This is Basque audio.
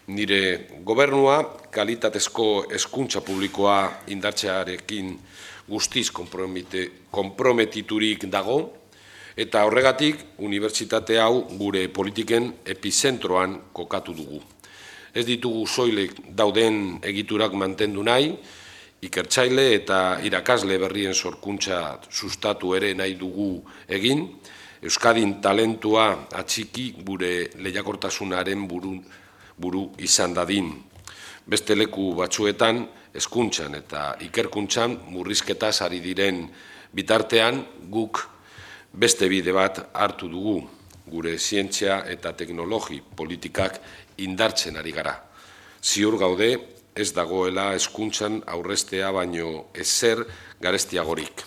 Nire gobernua kalitatezko hezkuntza publikoa indartzearekin guztiz konprometiturik dago, eta horregatik unibertsitate hau gure politiken epizentroan kokatu dugu. Ez ditugu soilik dauden egiturak mantendu nahi, ikertzaile eta irakasle berrien sorkuntza sustatu ere nahi dugu egin, Euskadin talentua atxiki gure lehiakortasunaren buru izan dadin. Beste leku batzuetan, hezkuntzan eta ikerkuntzan murrizketaz ari diren bitartean guk beste bide bat hartu dugu, gure zientzia eta teknologi politikak indartzen ari gara. Ziur gaude ez dagoela hezkuntzan aurreztea baino ezer garestiagorik.